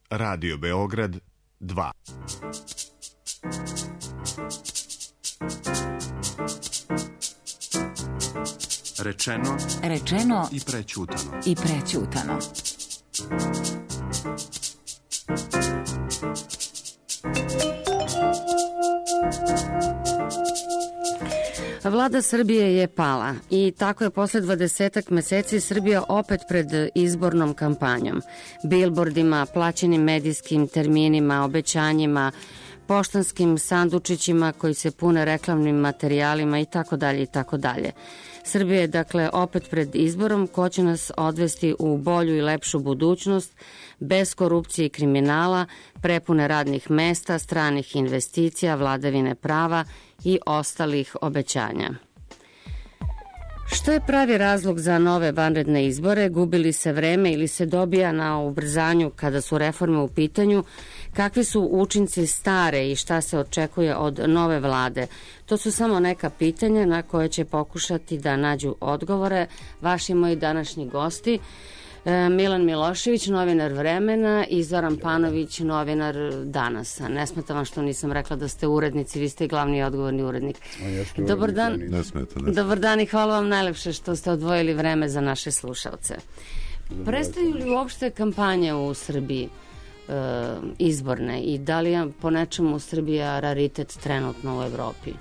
Radio Beograd 2. Rečeno i prećutano. Vlada Srbije je pala i tako je posle 20 meseci Srbija opet pred izbornom kampanjom. Bilbordima, plaćenim medijskim terminima, obećanjima, poštanskim sandučićima koji se pune reklamnim materijalima i tako dalje i tako dalje. Srbija je dakle opet pred izborom ko će nas odvesti u bolju i lepšu budućnost bez korupcije i kriminala, prepune radnih mesta, stranih investicija, vladavine prava i ostalih obećanja. Što je pravi razlog za nove vanredne izbore? Gubili se vreme ili se dobija na ubrzanju kada su reforme u pitanju? Kakvi su učinci stare i šta se očekuje od nove vlade? To su samo neka pitanja na koje će pokušati da nađu odgovore vaši moji današnji gosti. Milan Milošević, novinar Vremena, i Zoran Panović, novinar Danasa. Ne smeta vam što nisam rekla da ste urednici, vi ste i glavni i odgovorni urednik. Dobar dan. Dobar dan i hvala vam najlepše što ste odvojili vreme za naše slušalce. Prestaju li uopšte kampanje u Srbiji izborne i da li je po nečemu Srbija raritet trenutno u Evropi?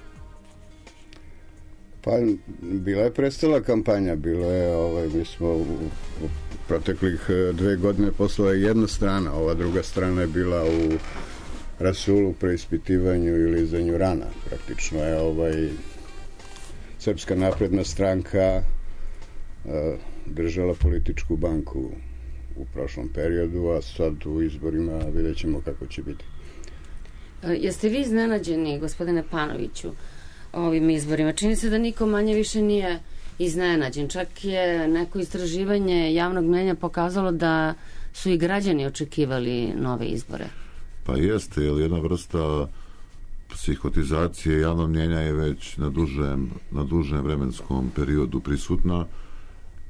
Pa, bila je prestala kampanja, bilo je, mi smo u proteklih 2 godine poslala jedna strana, ova druga strana je bila u rasulu, preispitivanju i lizanju rana. Praktično je Srpska napredna stranka držala političku banku u prošlom periodu, a sad u izborima vidjet ćemo kako će biti. Jeste vi iznenađeni, gospodine Panoviću, ovim izborima? Čini se da niko manje više nije iznenađen. Čak je neko istraživanje javnog mnjenja pokazalo da su i građani očekivali nove izbore. Pa jeste, jer jedna vrsta psihotizacije javnog mnjenja je već na dužem vremenskom periodu prisutna.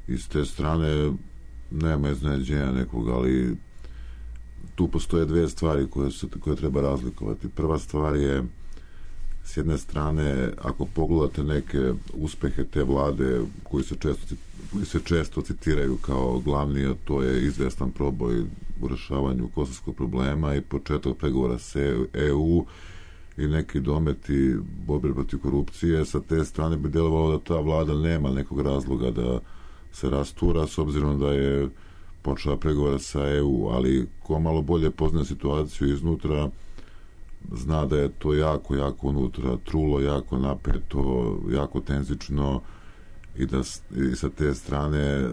I s te strane nema iznenađenja nekog, ali tu postoje 2 stvari koje treba razlikovati. Prva stvar je, s jedne strane, ako pogledate neke uspehe te vlade koji se često citiraju kao glavni, a to je izvestan proboj u rešavanju kosovskog problema i početak pregovora sa EU i neki dometi borbe protiv korupcije, sa te strane bi delovalo da ta vlada nema nekog razloga da se rastura, s obzirom da je počela pregovora sa EU, ali ko malo bolje poznaje situaciju iznutra, zna da je to jako unutra trulo, jako napeto, jako tenzično i da i sa te strane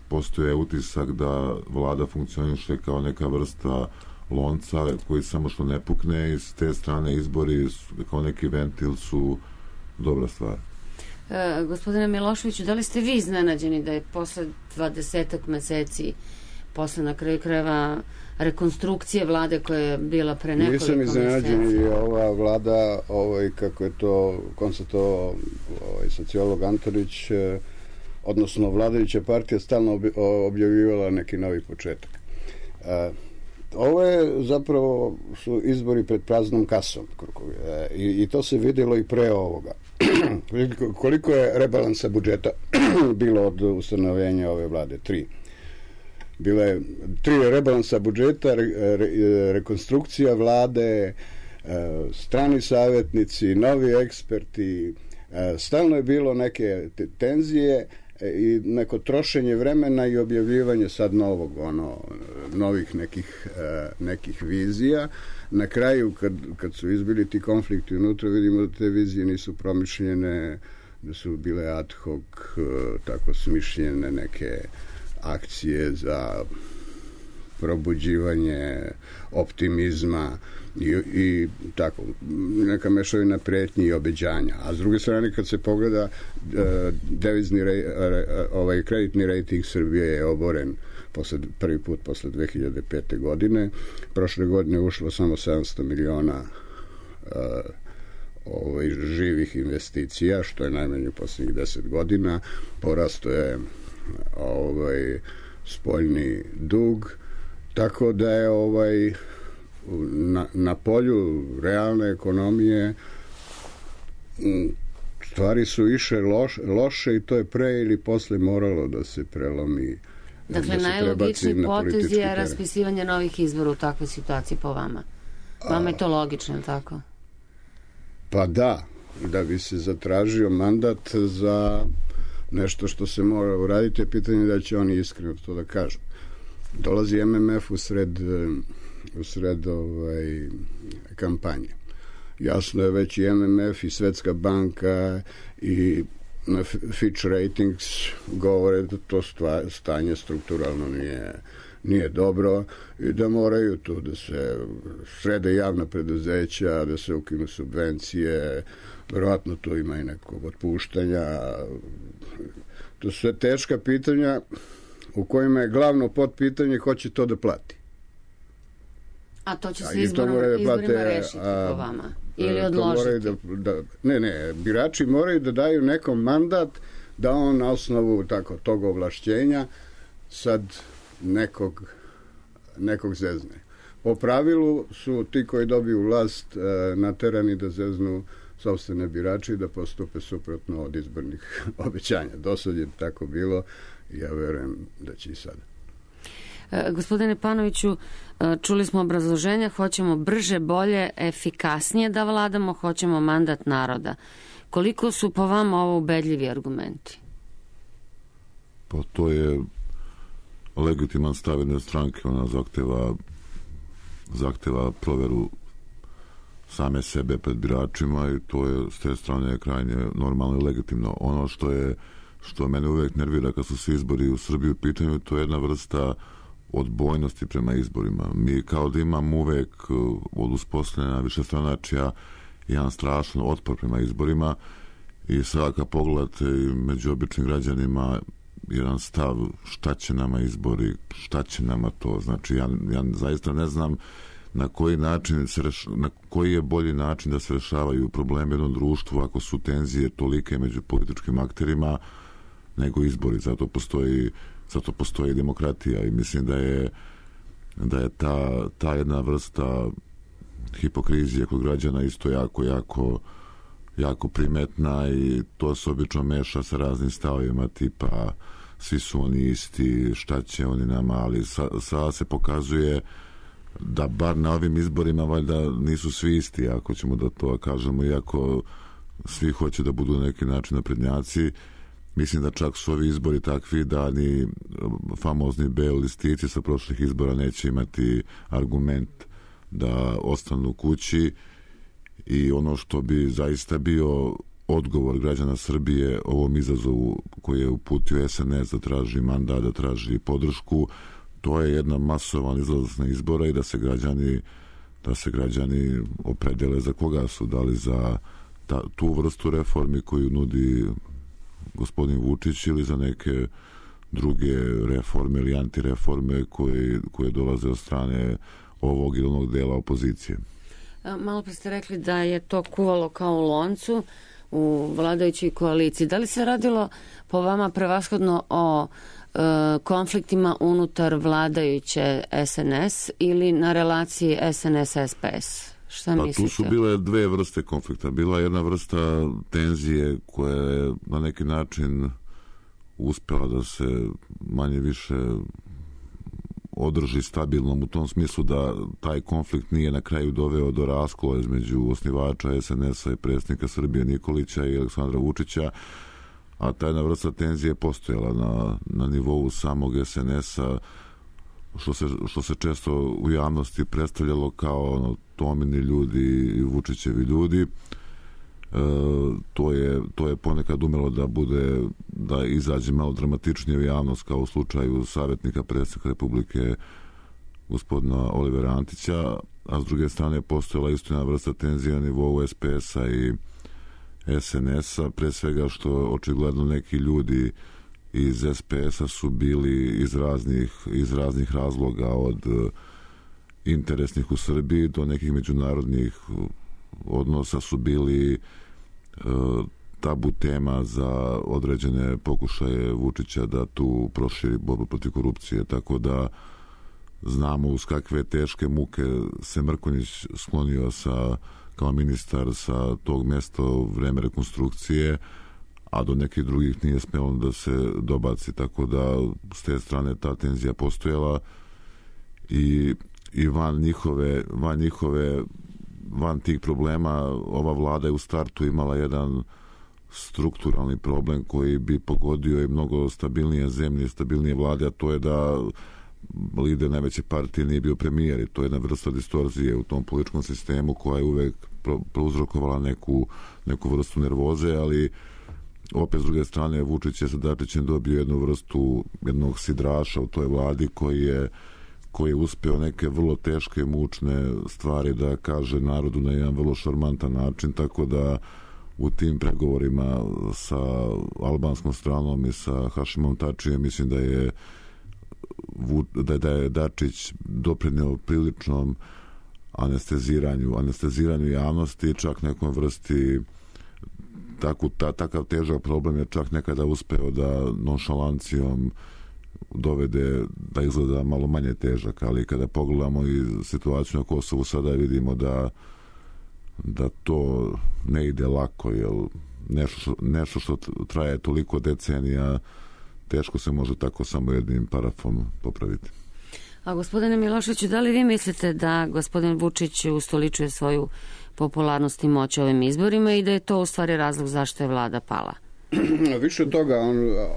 postoje utisak da vlada funkcioniše kao neka vrsta lonca koji samo što ne pukne, i s te strane izbori kao neki ventil su dobra stvar. Gospodine Miloševiću, da li ste vi iznenađeni da je posle 20 meseci, posle na kraju krajeva rekonstrukcije vlade koja je bila pre nekoliko meseci? Nisam iznenađen, i ova vlada, kako je to konstatovao sociolog Antonić, odnosno vladajuća partija stalno objavljivala neki novi početak. Ovo je zapravo su izbori pred praznom kasom i to se vidjelo i pre ovoga. Koliko je rebalansa budžeta bilo od ustanovljenja ove vlade? 3. Bilo je 3 rebalansa budžeta, rekonstrukcija vlade, strani savjetnici, novi eksperti, stalno je bilo neke tenzije i neko trošenje vremena i objavljivanje sad novih nekih vizija. Na kraju, kad su izbili ti konflikti unutra, vidimo da te vizije nisu promišljene, da su bile ad hoc, tako smišljene neke akcije za probuđivanje optimizma i tako, neka mešavina pretnji i obećanja. A s druge strane, kad se pogleda, devizni kreditni rejting Srbije je oboren prvi put posle 2005. godine. Prošle godine ušlo samo 700 miliona živih investicija, što je najmanje u posljednjih 10 godina. Porasto je spoljni dug Tako da je na polju realne ekonomije stvari su išle loše i to je pre ili posle moralo da se prelomi. Dakle, najlogičniji potez je raspisivanje novih izbora u takvoj situaciji po vama. Vama je to logično, ili tako? Pa da bi se zatražio mandat za nešto što se mora uraditi, je pitanje da će oni iskreno to da kažu. Dolazi MMF u sred kampanje. Jasno je već i MMF i Svetska banka i Fitch Ratings govore da to stanje strukturalno nije dobro i da moraju tu da se srede javna preduzeća, da se ukinu subvencije, verovatno tu ima i nekog otpuštanja. To su sve teška pitanja u kojima je glavno potpitanje ko će to da plati. A to će se izborima rešiti po vama? Ili odložiti? Ne, birači moraju da daju nekom mandat da on na osnovu tog ovlašćenja sad nekog zezne. Po pravilu su ti koji dobiju vlast naterani da zeznu sopstvene birače i da postupe suprotno od izbornih obećanja. Dosad je tako bilo i ja verujem da će i sada. Gospodine Panoviću, čuli smo obrazloženja, hoćemo brže, bolje, efikasnije da vladamo, hoćemo mandat naroda. Koliko su po vama ovo ubedljivi argumenti? Pa to je legitiman stav jedne stranke, ona zahteva proveru same sebe pred biračima i to je s te strane krajnje normalno i legitimno. Ono što mene uvek nervira kad su se izbori u Srbiji u pitanju, to je jedna vrsta odbojnosti prema izborima. Mi kao da imamo uvek od uspostavljena višestranačja jedan strašan otpor prema izborima i sada kad pogledate među običnim građanima jedan stav šta će nama izbori, šta će nama to. Znači ja zaista ne znam na koji je bolji način da se rešavaju problemi u jednom društvu ako su tenzije tolike među političkim akterima nego izbori. Zato postoji demokratija i mislim da je ta jedna vrsta hipokrizije kod građana isto jako primetna i to se obično meša sa raznim stavovima tipa svi su oni isti, šta će oni nama, ali sada se pokazuje da bar na ovim izborima valjda nisu svi isti, ako ćemo da to kažemo, iako svi hoće da budu na neki način naprednjaci. Mislim da čak su ovi izbori takvi da ni famozni beli listići sa prošlih izbora neće imati argument da ostanu kući i ono što bi zaista bio odgovor građana Srbije ovom izazovu koji je uputio SNS da traži mandat, da traži podršku, to je jedna masovan izlazak na izbora i da se građani opredele za koga su, da li za tu vrstu reformi koju nudi gospodin Vučić ili za neke druge reforme ili antireforme koje dolaze od strane ovog ili onog dela opozicije. Malo pre ste rekli da je to kuvalo kao u loncu u vladajućoj koaliciji. Da li se radilo po vama prevashodno o konfliktima unutar vladajuće SNS ili na relaciji SNS-SPS? Šta mislite? Tu su bile dve vrste konflikta. Bila jedna vrsta tenzije koja je na neki način uspela da se manje više održi stabilnom u tom smislu da taj konflikt nije na kraju doveo do raskola između osnivača SNS-a i predsjednika Srbije Nikolića i Aleksandra Vučića, a ta jedna vrsta tenzije postojala na nivou samog SNS-a, što se često u javnosti predstavljalo kao Tomini ljudi i Vučićevi ljudi. To je ponekad umelo da izađe malo dramatičnije u javnost, kao u slučaju savjetnika predsjednika Republike gospodina Olivera Antića, a s druge strane postojala isto jedna vrsta tenzija na nivou SPS-a i SNS-a, pre svega što očigledno neki ljudi iz SPS-a su bili iz raznih razloga, od interesnih u Srbiji do nekih međunarodnih odnosa, su bili tabu tema za određene pokušaje Vučića da tu proširi borbu protiv korupcije, tako da znamo uz kakve teške muke se Mrkonjić sklonio kao ministar sa tog mjesta u vreme rekonstrukcije, a do nekih drugih nije smjelo da se dobaci, tako da s te strane ta tenzija postojala i van tih problema ova vlada je u startu imala jedan strukturalni problem koji bi pogodio i mnogo stabilnije zemlje i stabilnije vlade, a to je da lider najveće partije nije bio premijer i to je jedna vrsta distorzije u tom političkom sistemu koja je uvek prouzrokovala neku vrstu nervoze, ali opet s druge strane Vučić je sa Dačićem dobio jednu vrstu jednog sidraša u toj vladi koji je uspeo neke vrlo teške i mučne stvari da kaže narodu na jedan vrlo šarmantan način, tako da u tim pregovorima sa albanskom stranom i sa Hašimom Tačijem mislim da je Dačić doprineo priličnom anesteziranju javnosti, čak nekom vrsti takav težak problem je čak nekada uspeo da nonšalancijom dovede da izgleda malo manje težak, ali kada pogledamo i situaciju na Kosovu sada vidimo da to ne ide lako, jer nešto što traje toliko decenija teško se može tako samo jednim parafom popraviti. A gospodine Miloševiću, da li vi mislite da gospodin Vučić ustoličuje svoju popularnost i moć ovim izborima i da je to u stvari razlog zašto je vlada pala? Više od toga,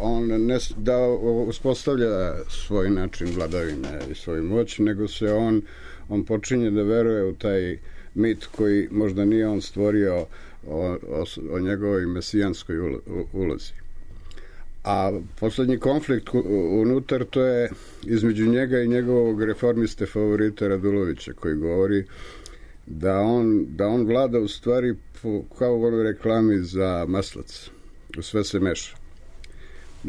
on ne da uspostavlja svoj način vladavine i svoju moć, nego se on počinje da veruje u taj mit koji možda nije on stvorio o njegovoj mesijanskoj ulozi. A poslednji konflikt unutar to je između njega i njegovog reformiste favorita Radulovića, koji govori da on vlada u stvari kao u onoj reklami za maslac. Sve se meša.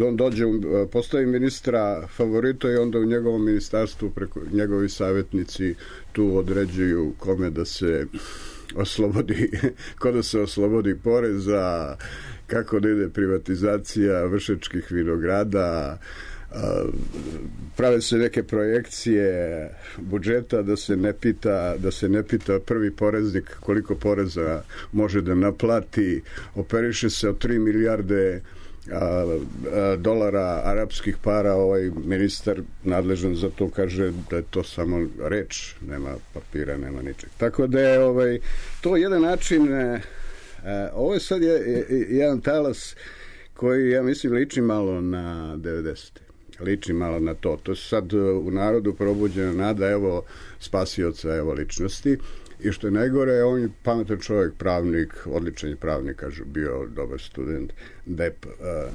On dođe, postavi ministra favorita i onda u njegovom ministarstvu preko njegovi savjetnici tu određuju kome da se oslobodi, ko da se oslobodi poreza, kako da ide privatizacija Vršačkih vinograda, prave se neke projekcije budžeta da se ne pita prvi poreznik koliko poreza može da naplati, operiše se od 3 milijarde dolara arapskih para. Ovaj ministar nadležan za to kaže da je to samo reč, nema papira, nema ničeg. Tako da je to jedan način, ovo je sad jedan talas koji, ja mislim, liči malo na 90. Liči malo na to. To je sad u narodu probuđena nada, evo spasioca, evo ličnosti. I što je najgore, on je pametan čovjek, pravnik, odličan je pravnik, kažu, bio dobar student, Dep,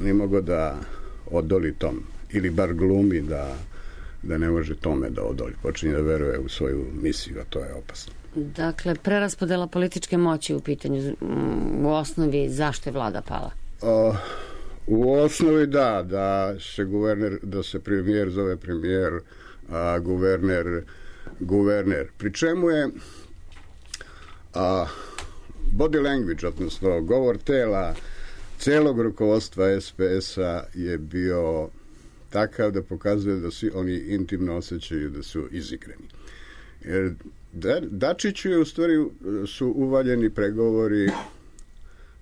nije mogao da odoli tom, ili bar glumi da ne može tome da odoli. Počinje da veruje u svoju misiju, a to je opasno. Dakle, preraspodela političke moći u pitanju, u osnovi, zašto je vlada pala? U osnovi da se premijer zove premijer, a guverner. Pri čemu je body language, odnosno govor tela celog rukovodstva SPS-a je bio takav da pokazuje da svi oni intimno osjećaju da su izigrani. Jer Dačiću je u stvari su uvaljeni pregovori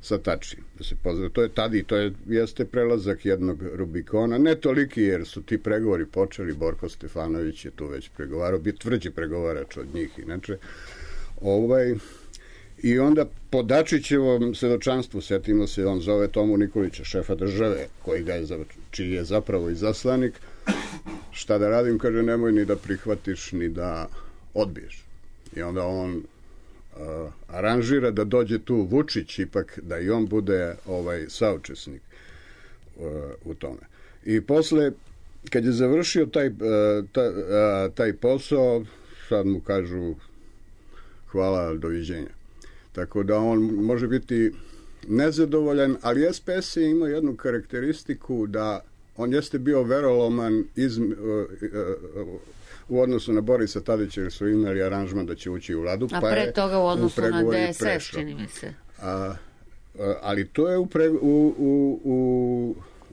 sa Tačijem, da se pozdrav. To je tada i jeste prelazak jednog Rubikona, ne toliki jer su ti pregovori počeli, Borko Stefanović je tu već pregovarao, bio tvrđi pregovarač od njih inače. I onda po Dačićevom svedočanstvu, setimo se, on zove Tomu Nikolića, šefa države, čiji je zapravo izaslanik. Šta da radim, kaže, nemoj ni da prihvatiš, ni da odbiješ. I onda on aranžira da dođe tu Vučić, ipak da i on bude saučesnik u tome. I posle, kad je završio taj posao, sad mu kažu hvala, doviđenja. Tako da on može biti nezadovoljan, ali SPS je imao jednu karakteristiku da on jeste bio veroloman u odnosu na Borisa Tadića, jer su imali aranžman da će ući u vladu. A pre toga u odnosu na DSS, čini mi se. Ali to je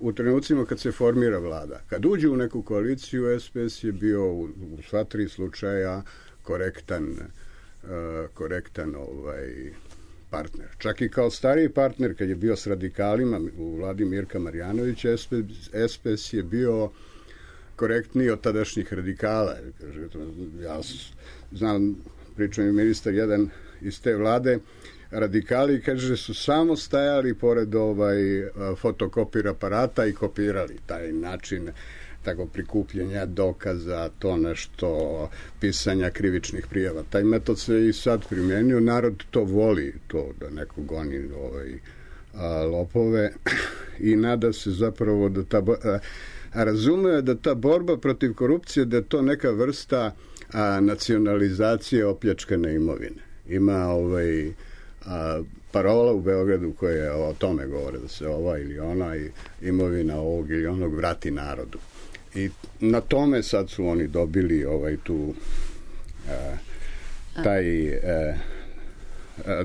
u trenucima kad se formira vlada. Kad uđe u neku koaliciju, SPS je bio u sva 3 slučaja korektan partner. Čak i kao stariji partner, kad je bio s radikalima u vladi Mirka Marjanovića, SPS je bio korektniji od tadašnjih radikala. Ja znam, pričao mi ministar jedan iz te vlade, radikali, kaže, su samo stajali pored fotokopir aparata i kopirali taj način tako prikupljanja dokaza, to nešto, pisanja krivičnih prijava. Taj metod se i sad primenio, narod to voli, to da neko goni lopove i nada se zapravo da razume da ta borba protiv korupcije, da je to neka vrsta nacionalizacije opljačkane imovine. Ima parola u Beogradu koja o tome govore, da se ova ili ona imovina ovog ili onog vrati narodu. I na tome sad su oni dobili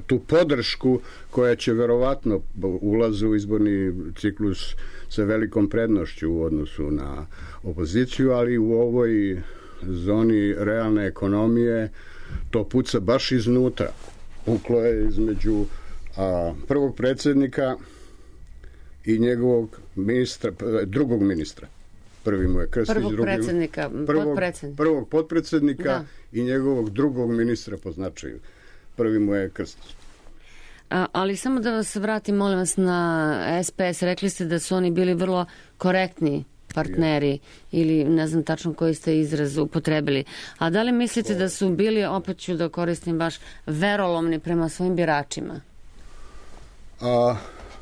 tu podršku koja će verovatno ulazu u izborni ciklus sa velikom prednošću u odnosu na opoziciju, ali u ovoj zoni realne ekonomije to puca baš iznutra. Puklo je između prvog predsjednika i njegovog drugog ministra. Prvi mu je Krstić, prvog potpredsjednika i njegovog drugog ministra po značaju. Prvi mu je Krstić. Ali samo da vas vratim, molim vas, na SPS. Rekli ste da su oni bili vrlo korektni partneri ili ne znam tačno koji ste izraz upotrebili. A da li mislite da su bili, opet ću da koristim baš, verolomni prema svojim biračima?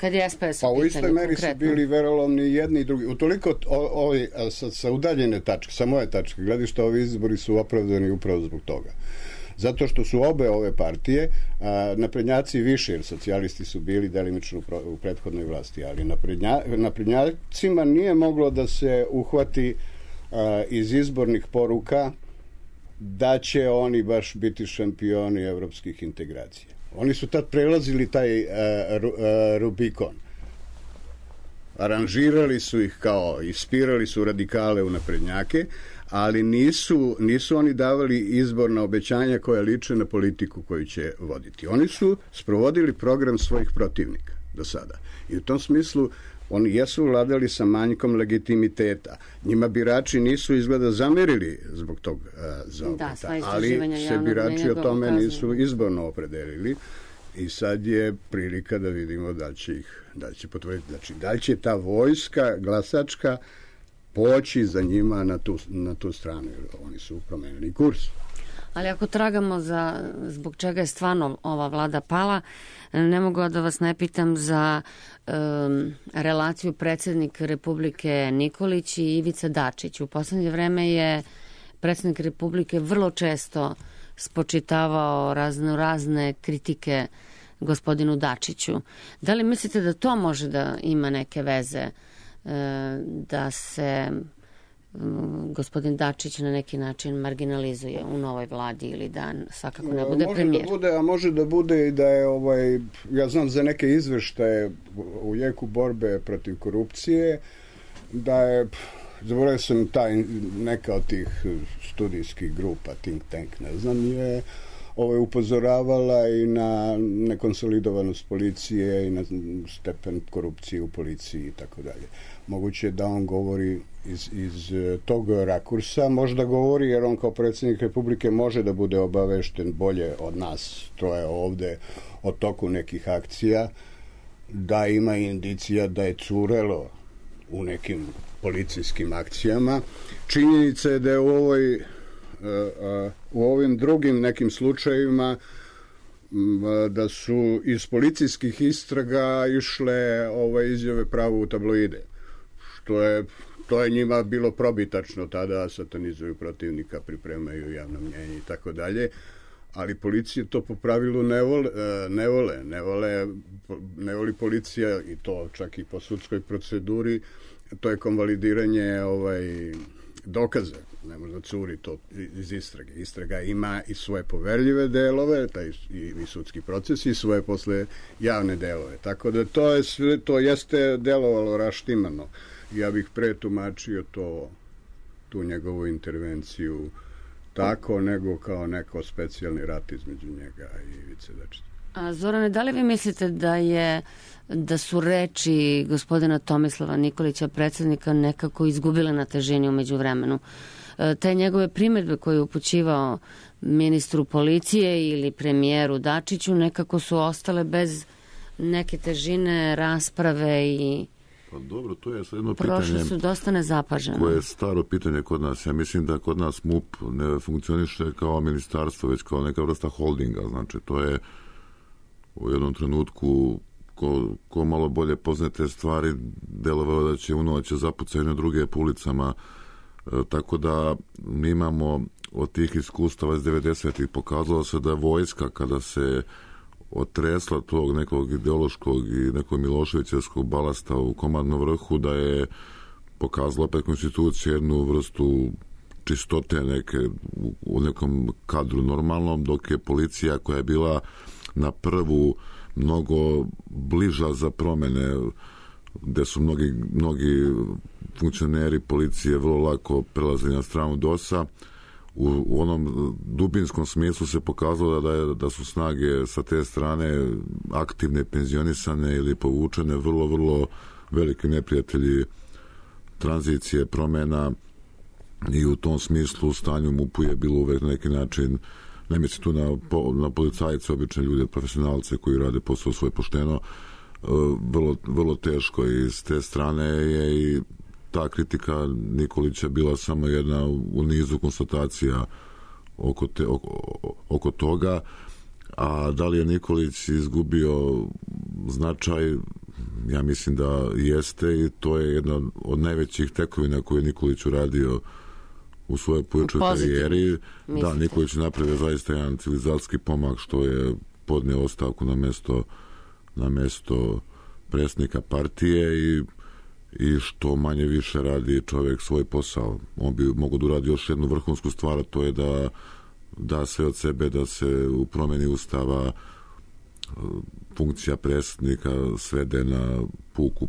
Kad je SPS u pitanju, u istoj meri su bili verolomni jedni i drugi. Utoliko sa udaljene tačke, sa moje tačke gledišta, ovi izbori su opravdani upravo zbog toga. Zato što su obe ove partije, naprednjaci više, jer socijalisti su bili delimično u prethodnoj vlasti, ali naprednjacima nije moglo da se uhvati iz izbornih poruka da će oni baš biti šampioni evropskih integracija. Oni su tad prelazili taj Rubikon. Aranžirali su ih kao, ispirali su radikale u naprednjake, ali nisu oni davali izborna obećanja koja liče na politiku koju će voditi. Oni su sprovodili program svojih protivnika do sada. I u tom smislu oni jesu vladali sa manjkom legitimiteta. Njima birači nisu izgleda zamerili zbog tog zaokreta, ali se birači o tome nisu izborno opredelili i sad je prilika da vidimo da će potvrditi. Znači, da li će ta vojska glasačka poći za njima na tu stranu, jer oni su promenili kurs. Ali ako tragamo zbog čega je stvarno ova vlada pala, ne mogu da vas ne pitam za relaciju predsjednik Republike Nikolić i Ivica Dačić. U poslednje vreme je predsjednik Republike vrlo često spočitavao razne kritike gospodinu Dačiću. Da li mislite da to može da ima neke veze da se gospodin Dačić na neki način marginalizuje u novoj vladi ili da svakako ne bude premijer? Može da bude i da je ja znam za neke izveštaje u jeku borbe protiv korupcije, da je, zaboravio sam neka od tih studijskih grupa, think tank, ne znam, je upozoravala i na nekonsolidovanost policije i na stepen korupcije u policiji i tako dalje. Moguće da on govori iz tog rakursa, možda govori jer on kao predsjednik Republike može da bude obavešten bolje od nas troje ovde o toku nekih akcija, da ima indicija da je curelo u nekim policijskim akcijama. Činjenica je da je u ovim drugim nekim slučajevima da su iz policijskih istraga išle izjave pravo u tabloide, to je njima bilo probitačno tada, satanizuju protivnika, pripremaju javno mnjenje i tako dalje, ali policija to po pravilu ne voli policija, i to čak i po sudskoj proceduri, to je konvalidiranje dokaze, ne može da curi to iz istrage. Istraga ima i svoje poverljive delove, taj i sudski proces, i svoje posle javne delove. Tako da to jeste delovalo raštimano. Ja bih pretumačio tu njegovu intervenciju tako, nego kao neko specijalni rat između njega i Ivice Dačića. A Zorane, da li vi mislite da su reči gospodina Tomislava Nikolića, predsjednika, nekako izgubile na težini umeđu vremenu? Te njegove primedbe koje je upućivao ministru policije ili premijeru Dačiću nekako su ostale bez neke težine rasprave i pa dobro, to je jedno prošle su dosta nezapažene. Koje je staro pitanje kod nas. Ja mislim da kod nas MUP ne funkcioniše kao ministarstvo, već kao neka vrsta holdinga. Znači, to je u jednom trenutku ko malo bolje poznaje te stvari, delovalo da će u noć zapucaju na druge po ulicama. Tako da mi imamo od tih iskustava iz 90-ih pokazalo se da vojska kada se otresla tog nekog ideološkog i nekog miloševićevskog balasta u komandnom vrhu, da je pokazala opet konstitucija jednu vrstu čistote neke u nekom kadru normalnom, dok je policija koja je bila na prvu mnogo bliža za promene, gde su mnogi funkcioneri policije vrlo lako prelazili na stranu DOS-a, u onom dubinskom smislu se pokazalo da su snage sa te strane aktivne, penzionisane ili povučene, vrlo, vrlo veliki neprijatelji tranzicije, promena, i u tom smislu u stanju MUP-u je bilo uvek na neki način, ne mislim tu na policajce, obične ljude, profesionalce koji rade posao svoje pošteno, vrlo teško, i s te strane je i ta kritika Nikolića bila samo jedna u nizu konstatacija oko toga. A da li je Nikolić izgubio značaj? Ja mislim da jeste, i to je jedna od najvećih tekovina koju je Nikolić uradio u svojoj političkoj karijeri. Da, Nikolić napravio zaista jedan civilizacijski pomak što je podneo ostavku na mesto predsjednika partije i što manje više radi čovjek svoj posao. On bi mogao da uradi još jednu vrhunsku stvar, to je da sve od sebe, da se u promjeni ustava funkcija predsjednika svede na puku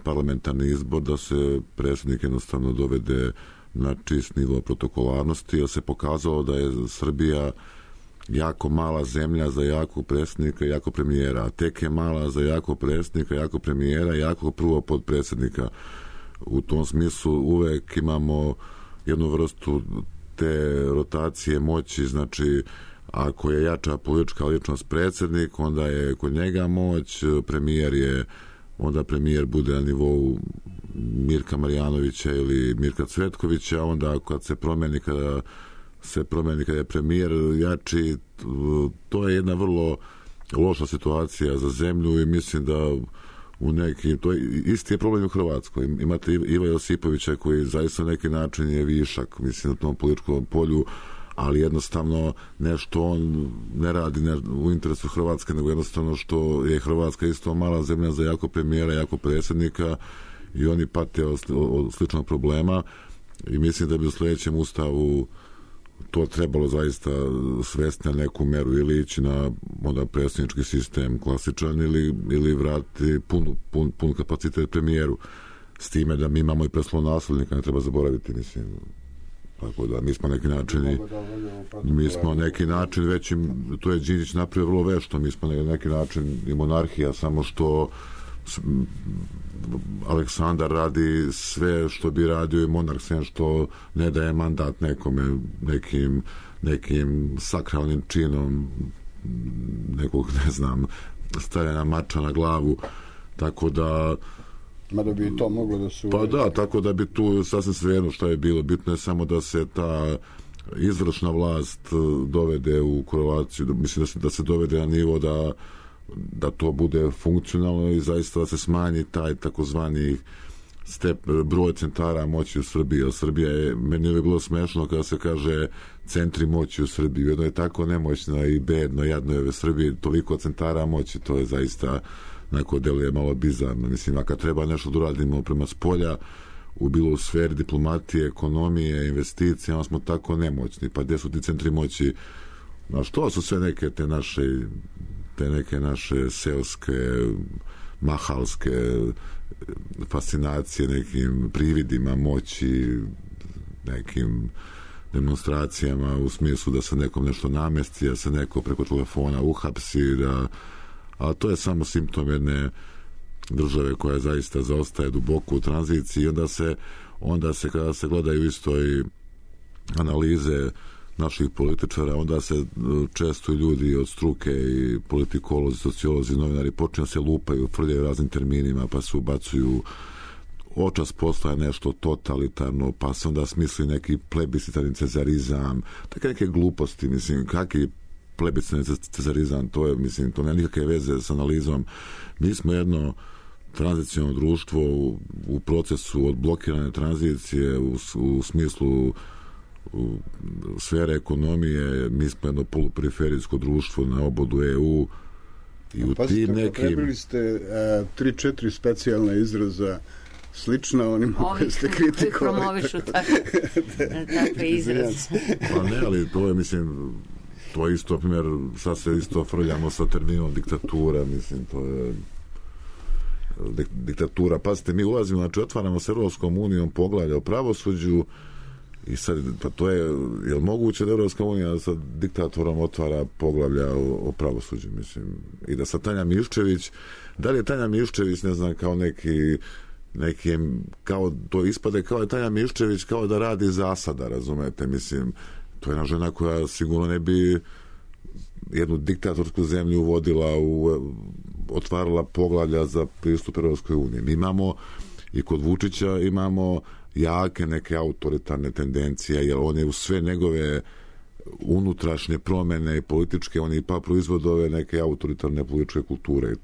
parlamentarni izbor, da se predsjednik jednostavno dovede na čist nivo protokolarnosti, jer se pokazalo da je Srbija jako mala zemlja za jakog predsjednika i jakog premijera, a tek je mala za jakog predsjednika, jakog premijera i jakog prvog podpredsjednika. U tom smislu uvek imamo jednu vrstu te rotacije moći, znači ako je jača politička ličnost predsjednik, onda je kod njega moć, onda premijer bude na nivou Mirka Marjanovića ili Mirka Cvetkovića, onda kad se promeni, kada je premijer jači, to je jedna vrlo loša situacija za zemlju, i mislim da to je isti je problem u Hrvatskoj. Imate Iva Josipovića koji zaista na neki način je višak, mislim, na tom političkom polju, ali jednostavno nešto on ne radi u interesu Hrvatske, nego jednostavno što je Hrvatska isto mala zemlja za jako premijera, jako predsjednika, i oni pate od sličnog problema, i mislim da bi u sljedećem ustavu to trebalo zaista svesti na neku meru, ili ići na onda predsjednički sistem klasičan, ili vratiti pun kapacitet premijeru, s time da mi imamo i preslonasljednika, ne treba zaboraviti, mislim. Tako da mi smo neki način već, to je Đinđić napravio vrlo vešto, mi smo neki način i monarhija, samo što Aleksandar radi sve što bi radio i monarh, sem što ne daje mandat nekome, nekim sakralnim činom nekog, ne znam, stavljena mača na glavu, tako da mada bi to moglo da se... Pa da, tako da bi tu sasvim svejedno što je bilo. Bitno je samo da se ta izvršna vlast dovede u korelaciju, mislim da se dovede na nivo da to bude funkcionalno i zaista da se smanji taj takozvani broj centara moći u Srbiji. Jer Srbija je, meni je bilo smešno kada se kaže centri moći u Srbiji. Jedno je tako nemoćno i bedno, jadno je u Srbiji, toliko centara moći, to je zaista neko deluje malo bizarno. Mislim, a kad treba nešto da uradimo prema spolja, bilo u sferi diplomatije, ekonomije, investicije, onda smo tako nemoćni. Pa gdje su ti centri moći? Znaš, to su sve neke te neke naše seoske, mahalske fascinacije nekim prividima moći, nekim demonstracijama u smislu da se nekom nešto namesti, da se neko preko telefona uhapsi, a to je samo simptom jedne države koja zaista zaostaje duboko u tranziciji i onda se kada se gledaju isto i analize naših političara, onda se često ljudi od struke i politikolozi, sociolozi, novinari počinju se lupaju, frljaju raznim terminima, pa se ubacuju očas postaje nešto totalitarno, pa se onda smisli neki plebiscitarni cezarizam, tako neke gluposti, mislim, kakvi plebiscitarni cezarizam, to je, mislim, to nema nikakve veze s analizom. Mi smo jedno tranziciono društvo u procesu odblokirane tranzicije u smislu sfere ekonomije, mi smo jedno poluperiferijsko društvo na obodu EU i u tim nekim... Potrebili ste 3-4 specijalna izraza slična onima koje ste kritikovali. Promovišu takve izraze. Pa ne, ali to je, mislim, to je isto, primjer, sad se isto frljamo sa terminom diktatura, mislim, to je diktatura. Pazite, mi ulazimo, znači otvaramo s Europskom unijom poglavlja o pravosuđu i sad, pa to je li moguće da Europska unija sa diktatorom otvara poglavlja o pravosuđu, mislim, i da sad Tanja Miščević, da li je Tanja Miščević, ne znam, kao neki kao to ispade kao je Tanja Miščević kao da radi zasada, razumete, mislim, to je jedna žena koja sigurno ne bi jednu diktatorsku zemlju uvodila otvarala poglavlja za pristup Europskoj uniji. Mi imamo i kod Vučića imamo jake neke autoritarne tendencije, jer on je u sve njegove unutrašnje promjene i političke, on je pa proizvodove neke autoritarne političke kulture i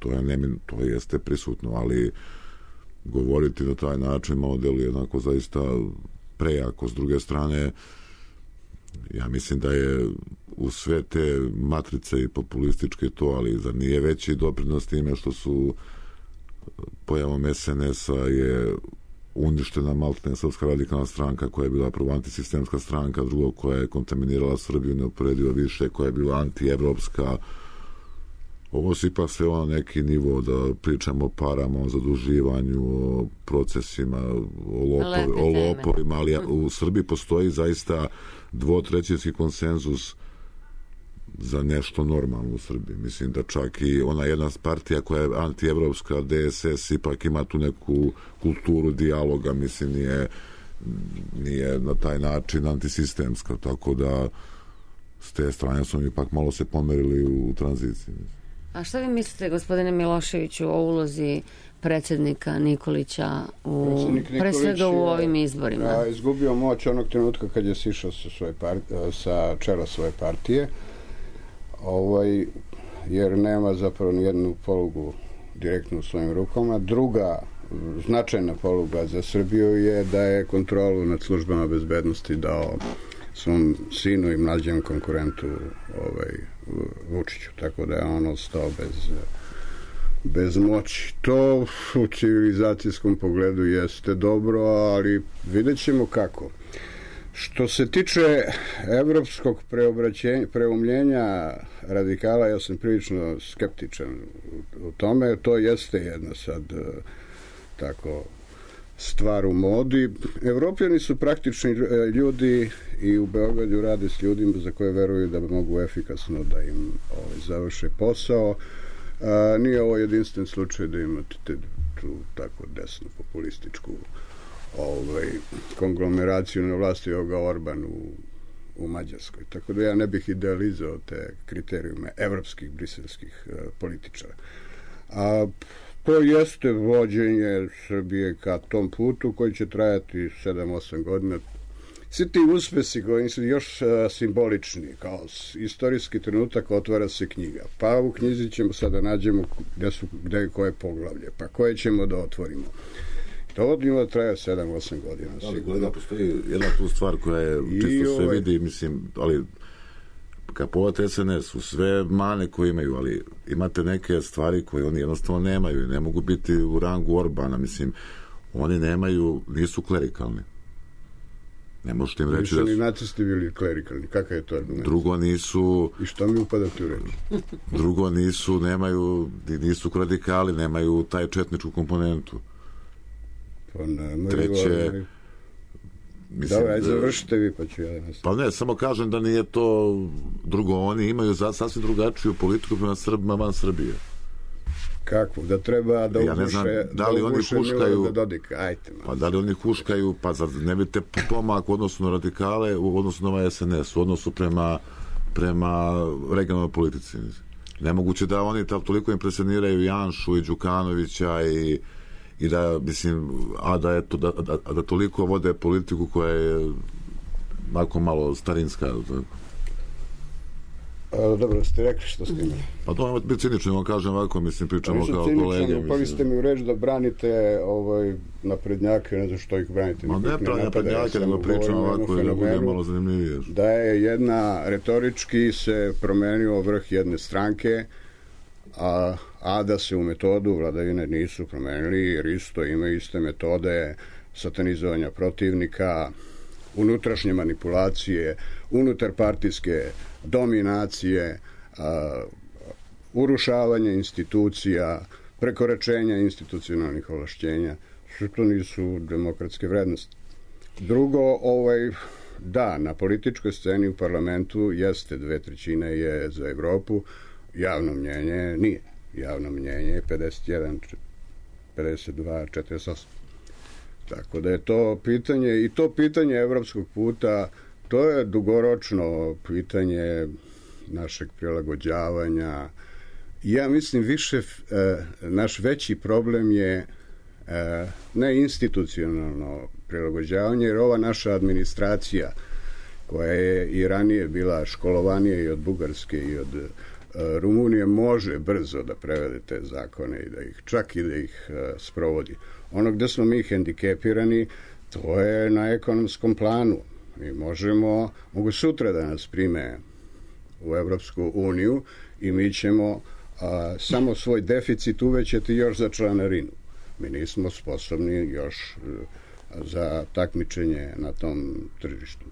to jeste prisutno, ali govoriti na taj način malo deluje jednako zaista prejako. S druge strane, ja mislim da je u sve te matrice i populističke to, ali zar nije veći doprinos time što su pojavom SNS-a je uništena maltene Srpska radikalna stranka koja je bila prvo antisistemska stranka, drugo koja je kontaminirala Srbiju neuporedivo više, koja je bila antievropska. Ovo se ipak sve na neki nivo da pričamo o parama, o zaduživanju, o procesima, o lopovima, ali u Srbiji postoji zaista dvotrećinski konsenzus za nešto normalno u Srbiji. Mislim da čak i ona jedna partija koja je antievropska, DSS, ipak ima tu neku kulturu dijaloga, mislim nije na taj način antisistemska, tako da s te strane smo ipak malo se pomerili u tranziciji. A što vi mislite, gospodine Miloševiću, o ulozi predsjednika Nikolića pre svega u ovim izborima? Izgubio moć onog trenutka kad je sišao sa čela svoje partije, jer nema zapravo nijednu polugu direktno u svojim rukama. Druga značajna poluga za Srbiju je da je kontrolu nad službama bezbednosti dao svom sinu i mlađem konkurentu Vučiću, tako da je on ostao bez moći. To u civilizacijskom pogledu jeste dobro, ali vidjet ćemo kako. Što se tiče evropskog preumljenja radikala, ja sam prilično skeptičan u tome. To jeste jedna sad tako stvar u modi. Evropljani su praktični ljudi i u Beogradu rade s ljudima za koje veruju da mogu efikasno da im završe posao. Nije ovo jedinstven slučaj da imate tu tako desnu populističku konglomeraciju na vlasti ovoga Orban u Mađarskoj. Tako da ja ne bih idealizao te kriterijume evropskih, briselskih političara. A to jeste vođenje Srbije ka tom putu koji će trajati 7-8 godina. Svi ti uspesi koji su još simbolični, kao istorijski trenutak, otvara se knjiga. Pa u knjizi ćemo sada nađemo gde je koje poglavlje, pa koje ćemo da otvorimo. To njima traja 7-8 godina. Ali kolega, postoji jedna tu stvar koja je čisto se vidi, mislim, ali kad pogledate SNS, u sve mane koje imaju, ali imate neke stvari koje oni jednostavno nemaju i ne mogu biti u rangu Orbana, mislim, oni nisu klerikalni. Ne možete im reći da su... ni nacisti bili klerikalni. Kakav je to argument? Drugo nisu... I što mi upadate u reč? Drugo nisu radikali, nemaju taj četničku komponentu. Pa nemaju... Treće... Dobro, ajde završite vi, pa ću ja da... Pa ne, samo kažem da nije to drugo. Oni imaju sasvim drugačiju politiku prema Srbima van Srbije. Kako? Da treba da uguše Milorada Dodika. Ajte. Pa da li oni huškaju, pa ne vidite pomak u odnosu na radikale, u odnosu na ovaj SNS, u odnosu prema regionalnoj politici. Nemoguće da oni toliko impresioniraju Janšu i Đukanovića i da, mislim, da toliko vode politiku koja je malo starinska. Dobro, ste rekli što ste imali. Pa to je biti cinično, vam kažem ovako, mislim, pričamo kao kolege. Upali ste mi u reč da branite naprednjake, ne znam što ih branite. Ma ne pravi naprednjake, nego pričamo ovako da bude malo zanimljivije. Da je retorički se promenio vrh jedne stranke, a da se u metodu vladavine nisu promenili, jer isto imaju iste metode satanizovanja protivnika, unutrašnje manipulacije, unutarpartijske dominacije, urušavanje institucija, prekoračenja institucionalnih ovlašćenja, što to nisu demokratske vrednosti. Drugo, da, na političkoj sceni u parlamentu jeste 2/3 je za Evropu, javno mnjenje nije. Javno mnjenje je 51, 52, 48. Tako da je to pitanje, i to pitanje evropskog puta, to je dugoročno pitanje našeg prilagođavanja. Ja mislim naš veći problem je ne institucionalno prilagođavanje, jer ova naša administracija, koja je i ranije bila školovanija i od Bugarske i od Rumunije, može brzo da prevede te zakone i da ih sprovodi. Ono gde smo mi hendikepirani, to je na ekonomskom planu. Mi mogu sutra da nas prime u Evropsku uniju i mi ćemo samo svoj deficit uvećati još za članarinu. Mi nismo sposobni još za takmičenje na tom tržištu.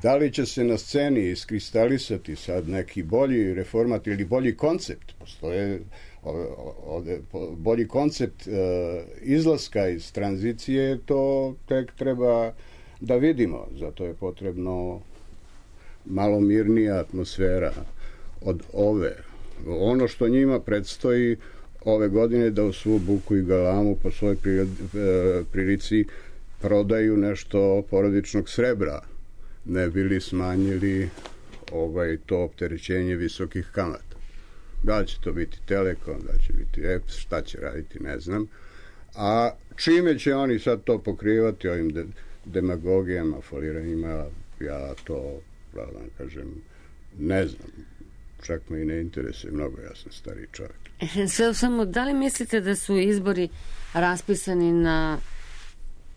Da li će se na sceni iskristalisati sad neki bolji reformat ili bolji koncept? Postoje bolji koncept izlaska iz tranzicije, to tek treba da vidimo. Zato je potrebno malo mirnija atmosfera od ove. Ono što njima predstoji ove godine da u svu buku i galamu po svojoj prilici prodaju nešto porodičnog srebra, ne bili smanjili to opterećenje visokih kamata. Da li će to biti Telekom, da će biti EPS, šta će raditi, ne znam. A čime će oni sad to pokrivati ovim demagogijama, foliranjima, ja to, pravda kažem, ne znam. Čak me i ne interesuje mnogo, ja sam stariji čovjek. Samo, da li mislite da su izbori raspisani na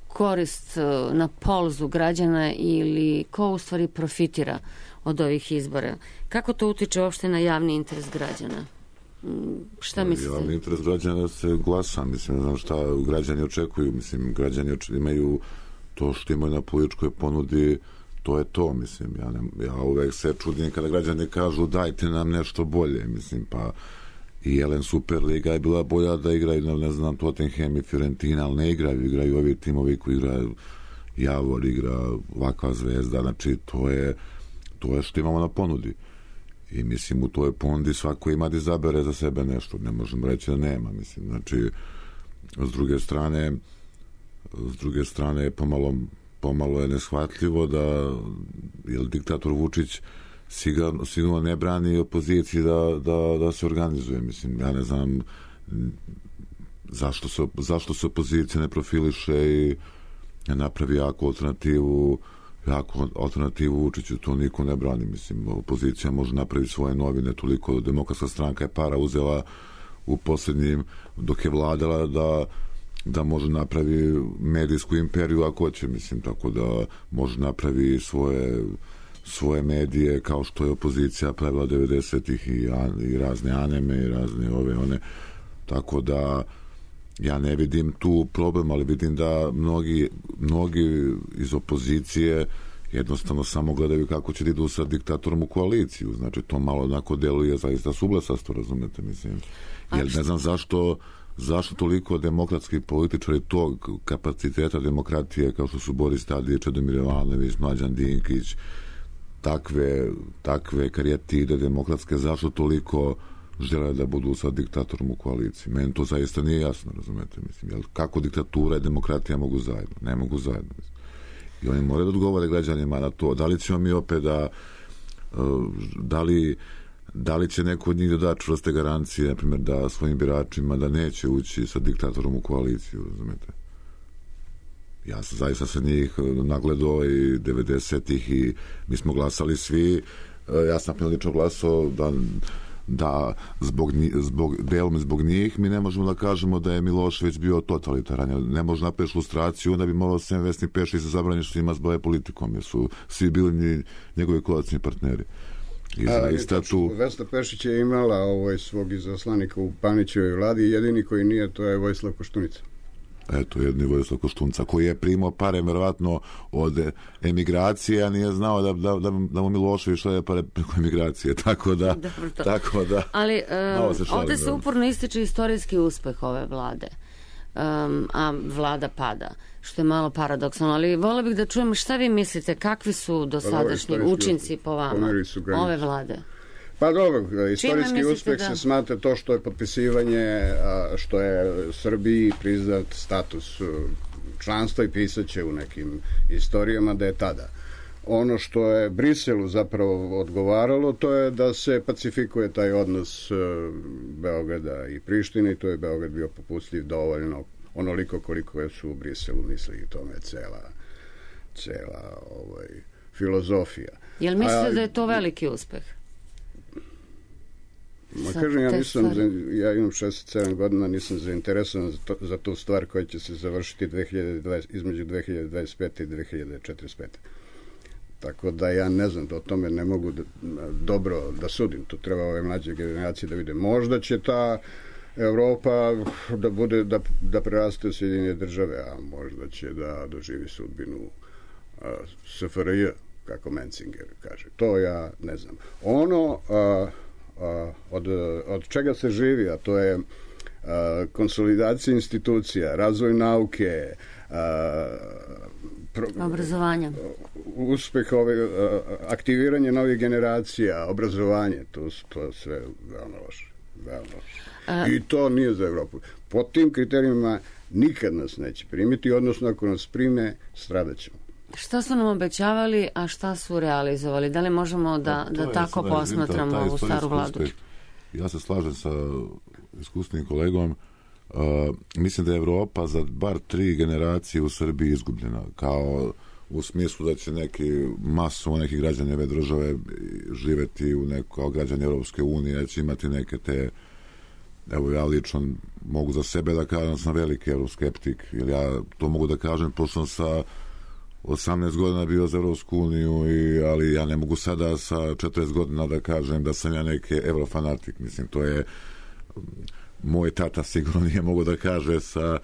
korist, na polzu građana, ili ko u stvari profitira od ovih izbora? Kako to utiče uopšte na javni interes građana? Šta mislite? Javni interes građana da se glasa, mislim, ne znam šta građani očekuju, mislim, građani imaju to što imaju na političkoj ponudi, to je to, mislim, ja uvek se čudim kada građani kažu dajte nam nešto bolje, mislim, pa i Jelen Superliga je bila bolja da igraju, ne znam, Tottenham i Fiorentina, ali ne igraju ovi timovi koji igraju, Javor igra, ovakva Zvezda, znači to je što imamo na ponudi. I mislim, u toj ponudi svako ima da izabere za sebe nešto, ne možemo reći da nema, mislim, znači s druge strane pomalo je neshvatljivo da diktator Vučić sigurno ne brani opoziciji da se organizuje. Mislim, ja ne znam zašto se opozicija ne profiliše i napravi jaku alternativu Vučiću, to niko ne brani. Mislim, opozicija može napraviti svoje novine, toliko Demokratska stranka je para uzela u posljednjim, dok je vladala, da može napravi medijsku imperiju ako hoće, mislim, tako da može napravi svoje medije kao što je opozicija pravila 90-ih i razne aneme i razne one, tako da ja ne vidim tu problem, ali vidim da mnogi iz opozicije jednostavno samo gledaju kako će da idu sa diktatorom u koaliciju. Znači, to malo onako deluje zaista suglasasto, razumete, mislim. Jer ne znam zašto toliko demokratskih političari tog kapaciteta demokratije, kao što su Boris Tadić, Čedomir Jovanović, Mlađan Dinkić, takve karijatide demokratske, zašto toliko žele da budu sa diktatorom u koaliciji? Meni to zaista nije jasno, razumete, mislim. Jer kako diktatura i demokratija mogu zajedno? Ne mogu zajedno, mislim. I oni moraju da odgovore građanima na to. Da li ćemo mi opet da li će neko od njih da da čvrste garancije, na primjer, da svojim biračima da neće ući sa diktatorom u koaliciju, razumete? Ja sam zaista sa njih nagledao i 90-ih i mi smo glasali svi. Ja sam lično glasao da delom zbog njih mi ne možemo da kažemo da je Milošević bio totalitaran. Ne može napraviti lustraciju, onda bi morao Sem Vesni Pešić se zabraniti što ima s boje politikom, jer su svi bili njegovi koalicijni partneri. Vesna Pešić je imala svog izaslanika u Panićevoj vladi, jedini koji nije, to je Vojislav Koštunica. Eto, jedni Vojislav Koštunica, koji je primao pare verovatno od emigracije, a nije znao da mu Milošević šalje pare preko emigracije, tako da ali ovde se uporno ističe istorijski uspeh ove vlade, a vlada pada, što je malo paradoksalno, ali volila bih da čujem šta vi mislite, kakvi su dosadašnji učinci po vama ove vlade? Pa dobro, istorijski uspeh se smatra to što je potpisivanje, što je Srbiji priznat status članstva i pisaće u nekim istorijama da je tada. Ono što je Briselu zapravo odgovaralo, to je da se pacifikuje taj odnos Beograda i Prištine i to je Beograd bio popustljiv dovoljno onoliko koliko su u Briselu mislili i tome cela filozofija. Jel mislite da je to veliki uspeh? Kažem, ja imam 67 godina, nisam zainteresovan za tu stvar koja će se završiti između 2025. i 2045. Tako da ja ne znam, o tome ne mogu dobro da sudim. To treba ove mlađe generacije da vide. Možda će ta Evropa da preraste u Sjedinjene države, a možda će da doživi sudbinu SFRJ, kako Menzinger kaže. To ja ne znam. Ono od čega se živi, a to je konsolidacija institucija, razvoj nauke, obrazovanje, uspeh aktiviranje novih generacija, obrazovanje, to sve veoma loše. I to nije za Evropu. Po tim kriterijima nikad nas neće primiti, odnosno ako nas prime, stradaćemo. Šta su nam obećavali, a šta su realizovali? Da li možemo da tako posmatramo ovu staru vladu? Ja se slažem sa iskusnim kolegom. Mislim da je Evropa za bar 3 generacije u Srbiji izgubljena. Kao u smislu da će masu nekih građana ove države živeti kao građani Europske unije, da će imati neke te... Evo, ja lično mogu za sebe da kažem da sam veliki euroskeptik, jer ja to mogu da kažem, pošto sam sa 18 godina bio za Evropsku uniju, ali ja ne mogu sada sa 40 godina da kažem da sam ja neki eurofanatik. Mislim, to je moj tata sigurno nije mogu da kaže sa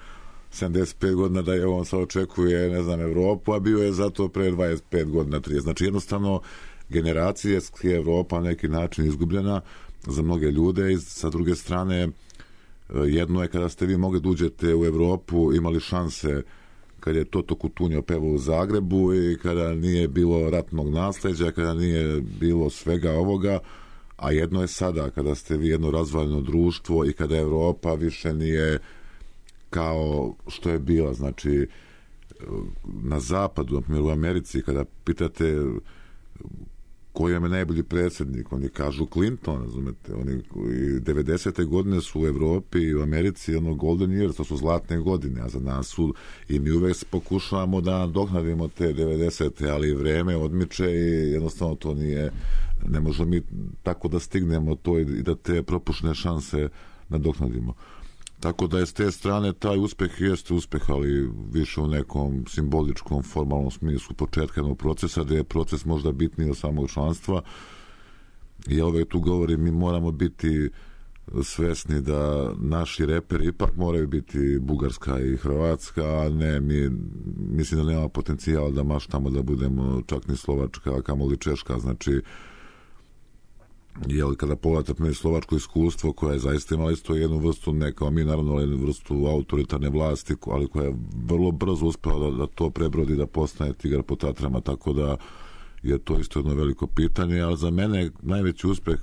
75 godina da je on sad očekuje, ne znam, Evropu, a bio je zato pre 25 godina, 30. Znači, jednostavno, generacijski Evropa na neki način izgubljena za mnoge ljude i sa druge strane, jedno je kada ste vi mogli da uđete u Evropu, imali šanse kad je Toto Cutugno pevao u Zagrebu i kada nije bilo ratnog nasleđa, kada nije bilo svega ovoga, a jedno je sada kada ste vi jedno razvaljeno društvo i kada Evropa više nije kao što je bila. Znači, na zapadu, na primjer u Americi, kada pitate koji je najbolji predsjednik, oni kažu Clinton, razumete, oni 90. godine su u Evropi i u Americi golden years, to su zlatne godine, a za nas su, i mi uvek pokušavamo da dohnadimo te 90. ali vreme odmiče i jednostavno to ne možemo mi tako da stignemo to i da te propušne šanse nadoknadimo. Tako da je s te strane taj uspeh jeste uspeh, ali više u nekom simboličkom, formalnom smislu početka jednog procesa, gde je proces možda bitniji od samog članstva. I ja uvek tu govorim, mi moramo biti svesni da naši reperi ipak moraju biti Bugarska i Hrvatska, a ne, mislim da nema potencijala da maštamo da budemo čak ni Slovačka, a kamoli Češka. Znači, kada pogledate slovačko iskustvo koje je zaista imala isto jednu vrstu, ne kao mi naravno, ali jednu vrstu autoritarne vlasti, ali koja je vrlo brzo uspela da to prebrodi, da postane tigar po Tatrama, tako da je to isto jedno veliko pitanje, ali za mene najveći uspeh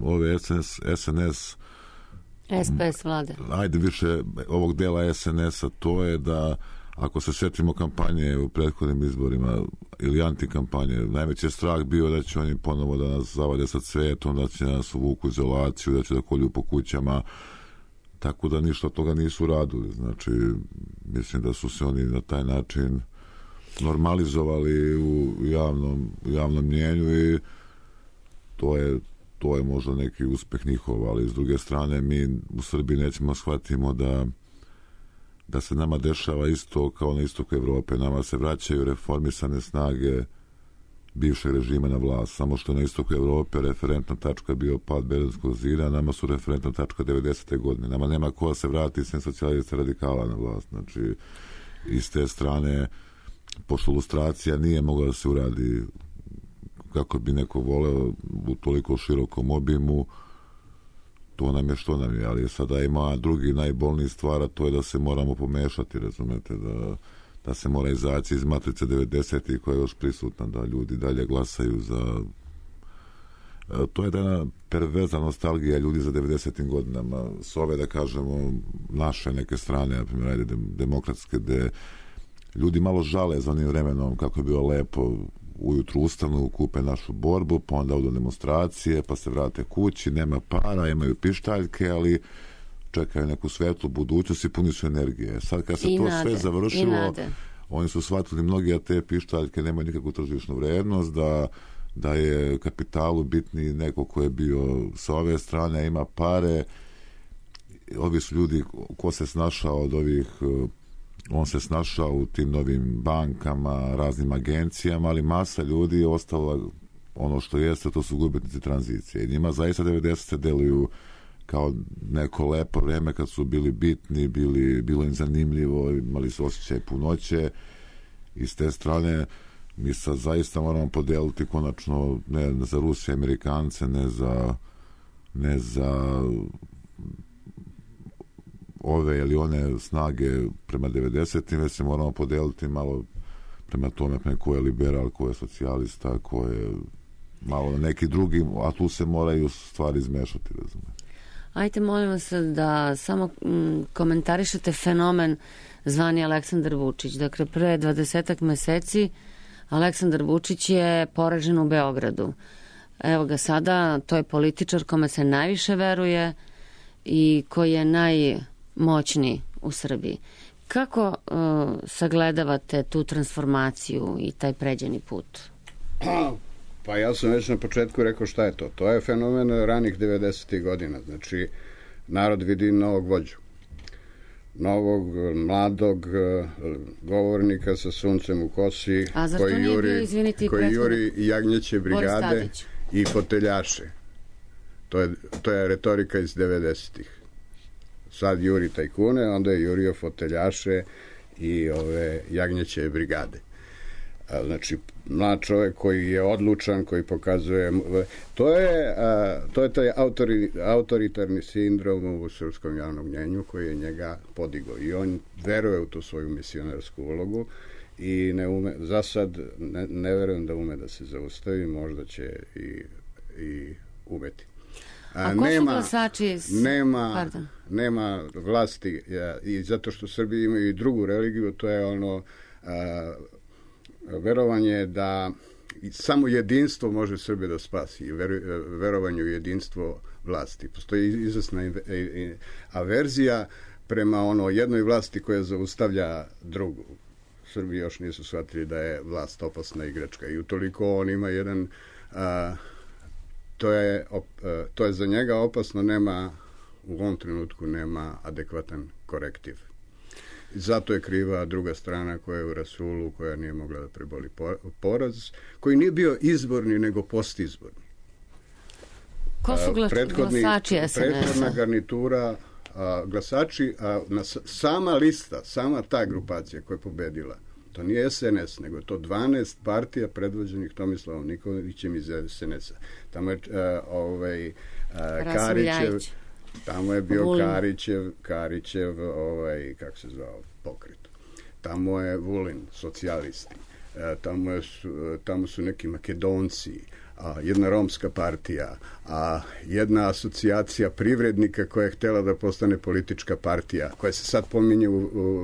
ove SNS SPS vlade. Ajde više ovog dela SNS-a, to je da ako se sjetimo kampanje u prethodnim izborima ili antikampanje, najveći je strah bio da će oni ponovo da nas zavade sa cvetom, da će nas uvuku izolaciju, da će da kolju po kućama, tako da ništa od toga nisu radili. Znači, mislim da su se oni na taj način normalizovali u javnom mnjenju i to je možda neki uspeh njihov, ali s druge strane mi u Srbiji nećemo shvatimo da se nama dešava isto kao na istoku Evrope. Nama se vraćaju reformisane snage bivšeg režima na vlast, samo što na istoku Evrope referentna tačka bio pad Berlinskog zida, nama su referentna tačka 90. godine. Nama nema ko da se vrati sem socijalista radikala na vlast. Znači, iz te strane, pošto lustracija nije mogla da se uradi kako bi neko voleo u toliko širokom obimu, to nam je što nam je, ali sada ima drugi najbolniji stvar, a to je da se moramo pomešati, razumete, da se mora izaći iz matrice 90. koja je još prisutna, da ljudi dalje glasaju za... To je jedna perverzna nostalgija ljudi za 90. godinama, s ove, da kažemo, naše neke strane, na primjer, demokratske, gde ljudi malo žale za onim vremenom kako je bilo lepo, ujutru ustanu, kupe našu borbu, pa onda odu demonstracije, pa se vrate kući, nema para, imaju pištaljke, ali čekaju neku svetlu budućnost i puni su energije. Sad kad se to sve završilo, oni su shvatili mnogi, a te pištaljke nemaju nikakvu tržišnu vrednost, da je kapitalu bitni neko ko je bio sa ove strane, ima pare. Ovi su ljudi, ko se snašao od ovih... On se snašao u tim novim bankama, raznim agencijama, ali masa ljudi je ostala ono što jeste, to su gubitnici tranzicije. I njima zaista 90. deluju kao neko lepo vreme kad su bili bitni, bilo im zanimljivo, imali su osjećaj punoće. I s te strane mi sad zaista moramo podeliti konačno ne za Rusije, Amerikance, ne za ove ili one snage prema 90. već se moramo podeliti malo prema tome ko je liberal, ko je socijalista, ko je malo neki drugi, a tu se moraju stvari izmešati, razumijete. Ajte, molim vas da samo komentarišete fenomen zvani Aleksandar Vučić. Dakle, pre 20 meseci Aleksandar Vučić je poražen u Beogradu. Evo ga sada, to je političar kome se najviše veruje i koji je najmoćniji u Srbiji. Kako sagledavate tu transformaciju i taj pređeni put? Pa ja sam već na početku rekao šta je to. To je fenomen ranih 90. godina. Znači, narod vidi novog vođu. Novog, mladog govornika sa suncem u kosi, koji juri jagnjeće brigade i foteljaše. To je retorika iz 90-ih. Sad juri tajkune, onda je jurio foteljaše i ove jagnjeće brigade. Znači, mlad čovjek koji je odlučan, koji pokazuje... To je taj autoritarni sindrom u srpskom javnom mnjenju koji je njega podigao. I on veruje u tu svoju misionarsku ulogu i za sad ne verujem da ume da se zaustavi, možda će i umeti. A ko su glasači? Nema vlasti i zato što Srbi imaju i drugu religiju, to je verovanje da samo jedinstvo može Srbe da spasi, verovanje u jedinstvo vlasti. Postoji izvesna averzija prema jednoj vlasti koja zaustavlja drugu. Srbi još nisu shvatili da je vlast opasna igračka i utoliko on ima jedan to je za njega opasno, u ovom trenutku nema adekvatan korektiv. Zato je kriva druga strana koja je u rasulu, koja nije mogla da preboli poraz, koji nije bio izborni nego postizborni. Ko su glasači SNS-a? Prethodna garnitura glasači, sama lista, sama ta grupacija koja je pobedila, to nije SNS, nego je to 12 partija predvođenih Tomislavom Nikolićem iz SNS-a. Tamo je Karićev, tamo je bio Karićev kako se zvao, pokret. Tamo je Vulin, socijalisti. Tamo su neki Makedonci, jedna romska partija, jedna asocijacija privrednika koja je htjela da postane politička partija, koja se sad pominje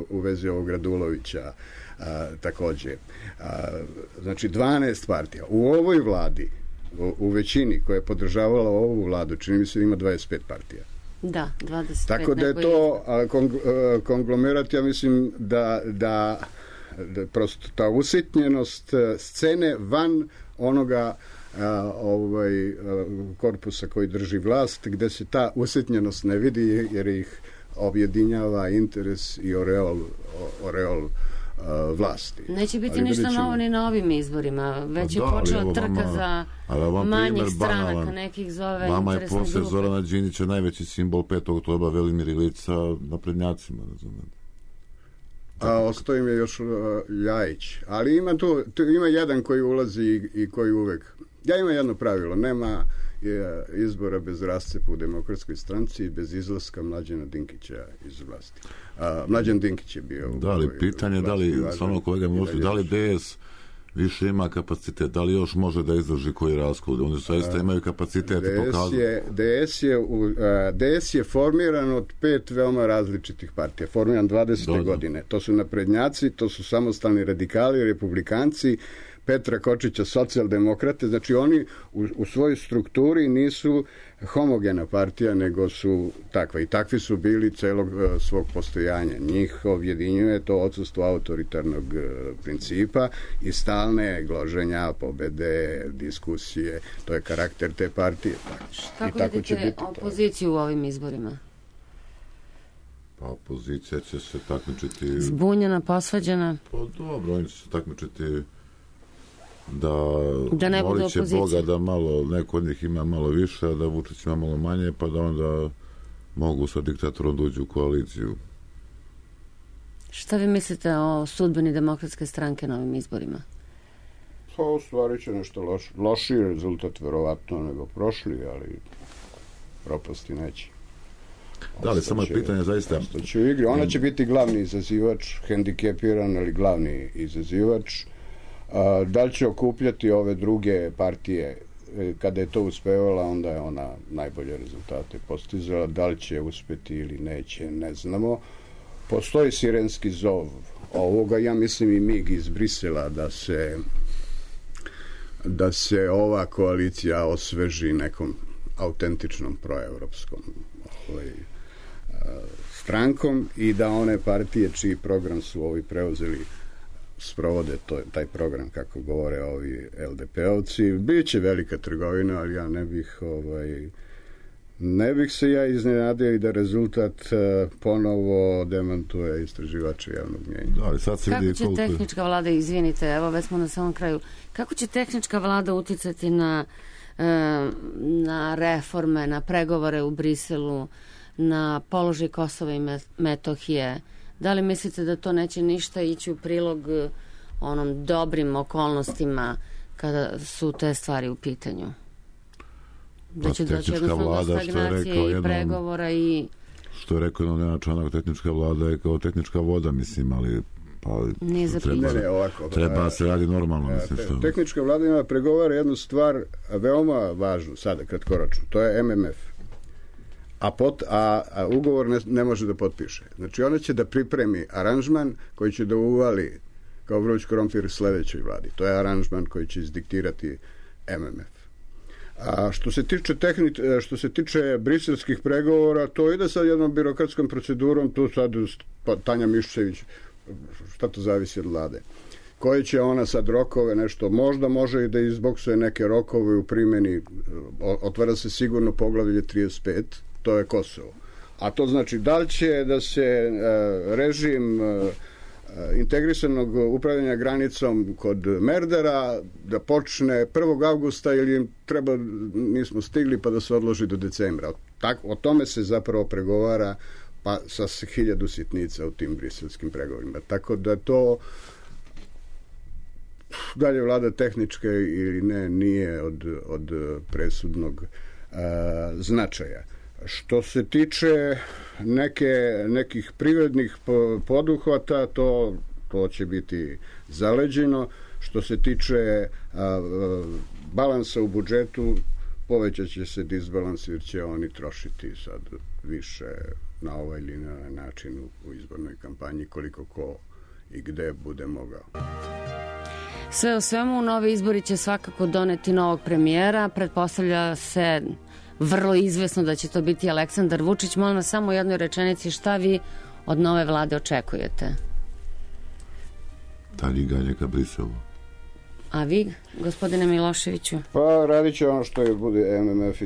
u vezi ovog Radulovića, takođe. Znači 12 partija. U ovoj vladi, u većini koja je podržavala ovu vladu, čini mi se da ima 25 partija. Da, 25. Tako da je to konglomerat, ja mislim da prosto ta usitnjenost scene van onoga korpusa koji drži vlast, gde se ta usitnjenost ne vidi jer ih objedinjava interes i oreol vlasti. Neće biti ništa novo ni na ovim izborima. Već je počela trka za manjih stranaka, nekih zove vama je interesne posle grupe. Zorana Đinđića najveći simbol 5. oktobra Velimir Ilić sa naprednjacima, razumem. Ostao im je još Ljajić. Ali ima jedan koji ulazi i koji uvek... Ja imam jedno pravilo, nema izbora bez rascepa u Demokratskoj stranci i bez izlaska Mlađana Dinkića iz vlasti. Mlađan Dinkić je bio... Da li, pitanje da li, samo kolega Milošević, da li DS više ima kapacitet, da li još može da izdrži koji raskol? Oni zaista imaju kapacitet. DS je formiran od 5 veoma različitih partija. Formiran 20. godine. To su naprednjaci, to su samostalni radikali, republikanci, Petra Kočića, socijaldemokrate, znači oni u svojoj strukturi nisu homogena partija, nego su takva. I takvi su bili celog svog postojanja. Njih objedinjuje to odsustvo autoritarnog principa i stalne gloženja, pobede, diskusije. To je karakter te partije. Kako vidite opoziciju u ovim izborima? Pa opozicija će se takmičiti... Zbunjena, posvađana? Pa dobro, oni će se takmičiti da ne bude moliće Boga da malo, neko od njih ima malo više, a da Vučić ima malo manje, pa da onda mogu sa diktatorom dođu u koaliciju. Šta vi mislite o sudbini Demokratske stranke na ovim izborima? Pa u stvari će nešto lošiji rezultat verovatno nego prošli, ali propasti neće. Da li, samo je pitanje zaista... Ona će biti glavni izazivač, hendikepiran, ali glavni izazivač. Da li će okupljati ove druge partije? Kada je to uspevala, onda je ona najbolje rezultate postizala. Da li će uspeti ili neće, ne znamo. Postoji sirenski zov ovoga, ja mislim i mig iz Brisela, da se ova koalicija osveži nekom autentičnom proevropskom strankom i da one partije čiji program su ovi preuzeli sprovode taj program kako govore ovi LDP-ovci. Biće velika trgovina, ali ja ne bih se ja iznenadio i da rezultat ponovo demantuje istraživače javnog mnjenja. Kako će tehnička vlada, izvinite, evo već smo na samom kraju, kako će tehnička vlada uticati na reforme, na pregovore u Briselu, na položaj Kosova i Metohije? Da li mislite da to neće ništa ići u prilog onom dobrim okolnostima kada su te stvari u pitanju? Da će doći jednostavno do stagnacije i pregovora i... Što je rekao jednom Nenad Čanak, tehnička vlada je kao tehnička voda, mislim, ali treba se radi normalno. Tehnička vlada ima pregovara jednu stvar veoma važnu sada, kratkoročno. To je MMF. A ugovor ne može da potpiše. Znači ona će da pripremi aranžman koji će da uvali kao vruć krompir sledećoj vladi. To je aranžman koji će izdiktirati MMF. A što se tiče briselskih pregovora, to ide sad jednom birokratskom procedurom, tu sad Tanja Miščević, šta to zavisi od vlade. Koje će ona sad rokove, nešto, možda može i da izboksuje neke rokove u primjeni, otvara se sigurno poglavlje 35, to je Kosovo. A to znači da li će da se režim integrisanog upravljanja granicom kod Merdara da počne 1. avgusta ili im treba, nismo stigli pa da se odloži do decembra. O tome se zapravo pregovara pa sa 1000 sitnica u tim briselskim pregovorima. Tako da to dalje vlada tehničke ili ne nije od presudnog značaja. Što se tiče nekih privrednih poduhvata, to će biti zaleđeno. Što se tiče balansa u budžetu, povećat će se disbalans jer će oni trošiti sad više na ovaj ili na način u izbornoj kampanji koliko ko i gde bude mogao. Sve u svemu, novi izbori će svakako doneti novog premijera. Pretpostavlja se vrlo izvesno da će to biti Aleksandar Vučić. Molim vas samo u jednoj rečenici, šta vi od nove vlade očekujete? Dalje ganje ka Briselu. A vi, gospodine Miloševiću? Pa radit će ono što je bude MMF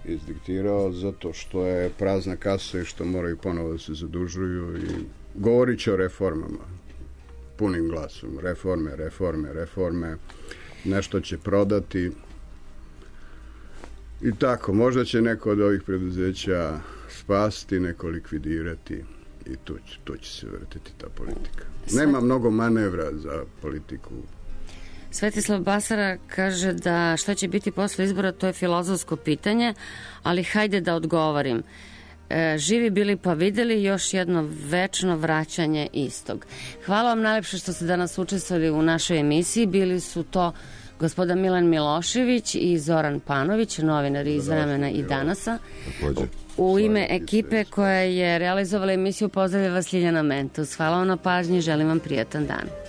izdiktirao, zato što je prazna kasa i što moraju ponovo da se zadužuju i govorit će o reformama punim glasom. Reforme. Nešto će prodati i tako. Možda će neko od ovih preduzeća spasti, neko likvidirati i tu će se vrtiti ta politika. Nema mnogo manevra za politiku. Svetislav Basara kaže da šta će biti posle izbora, to je filozofsko pitanje, ali hajde da odgovorim. Živi bili pa videli, još jedno večno vraćanje istog. Hvala vam najlepše što ste danas učestvovali u našoj emisiji. Bili su to gospodin Milan Milošević i Zoran Panović, novinari iz Vremena i Danasa. U ime ekipe koja je realizovala emisiju pozdravlja vas Ljiljana Mentus. Hvala vam na pažnji, želim vam prijatan dan.